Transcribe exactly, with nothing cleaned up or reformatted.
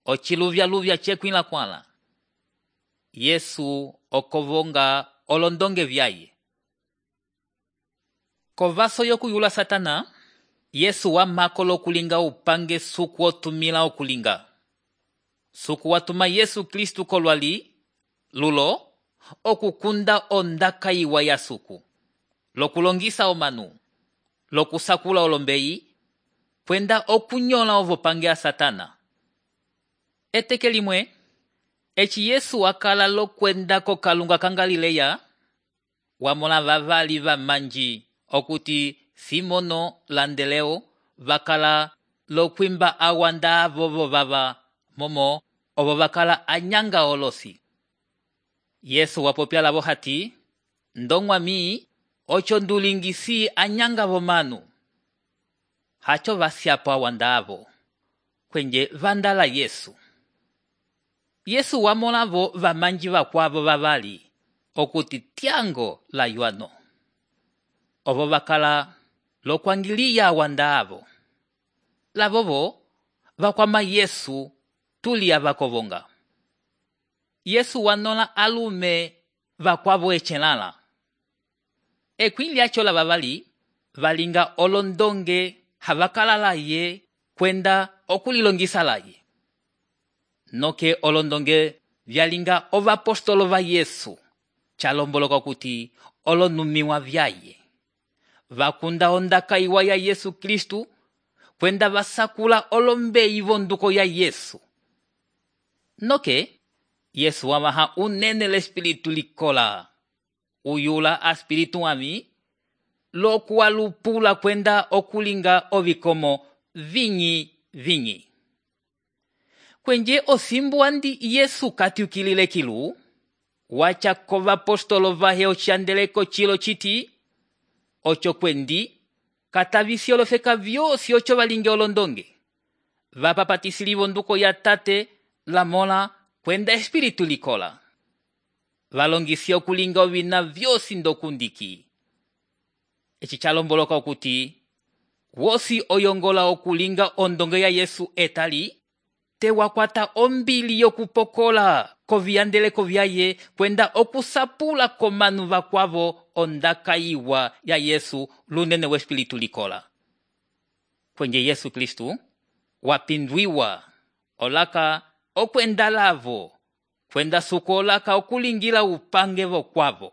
ociluvya-luvya cekwila kwala. Yesu okovonga olondonge vyaye. Kovaso yokuyula Satana, Yesu wamako lokulinga upange suku otumila okulinga. Suku watuma Yesu Kristu kolwali, lulo, okukunda ondaka iwa ya suku, lokulongisa omanu, lokusakula olombeyi, kwenda okunyola ovopange ya Satana. Eteke limwe, eci Yesu wakala lokwenda kokalunga ka Galileya, wamona vavali vamanji okuti Simono landeleo vakala lokwimba awanda vovo vava momo ovo vakala anyanga olosi. Yesu wapopya lavo hati, ndongwami ocho ndulingisi anyanga vomanu. Hacho vasyapo awanda avo, kwenye vandala Yesu. Yesu wamolavo vamanji vakwavo vavali, okuti tiango la yuano. Ovo vakala lokwangiliya awanda avo. Lavovo vakwama Yesu tulia vakovonga. Yesu wanola alume vakwavo echelala. Ekwilya chola vavali valinga olondonge havakala laye kwenda okulilongisa laye. Noke olondonge vyalinga ovapostolo va Yesu, chalomboloka kuti olonumiwa vyaye. Vakunda ondaka iwa ya Yesu Kristu, kwenda vasakula olombeyi vonduko ya Yesu. Noke, Yesu wamaha unene l'espiritu likola, uyula a spiritu ami, lokuwa lupula kwenda okulinga ovikomo vinyi vinyi. Kwenye osimbu andi Yesu katiukilile kilu, wacha kova apostolo vahe ochandeleko chilo chiti, ocho kwendi, katavisi olofeka vyosi ocho valinge olondonge. Vapapatisili vonduko ya tate, la mola, kwenda espiritu likola. Valongisi okulinga ovina vyosi ndokundiki. Eci chalomboloka okuti, wosi oyongola okulinga ondonge ya Yesu etali, te wakwata ombili yokupokola koviyandeleko vyaye kwenda okusapula komanu vakwavo ondaka iwa ya Yesu lunene we espiritu likola. Kwenye Yesu Kristu, wapindwiwa olaka okwenda lavo, kwenda suko olaka okulingila upange vokwavo.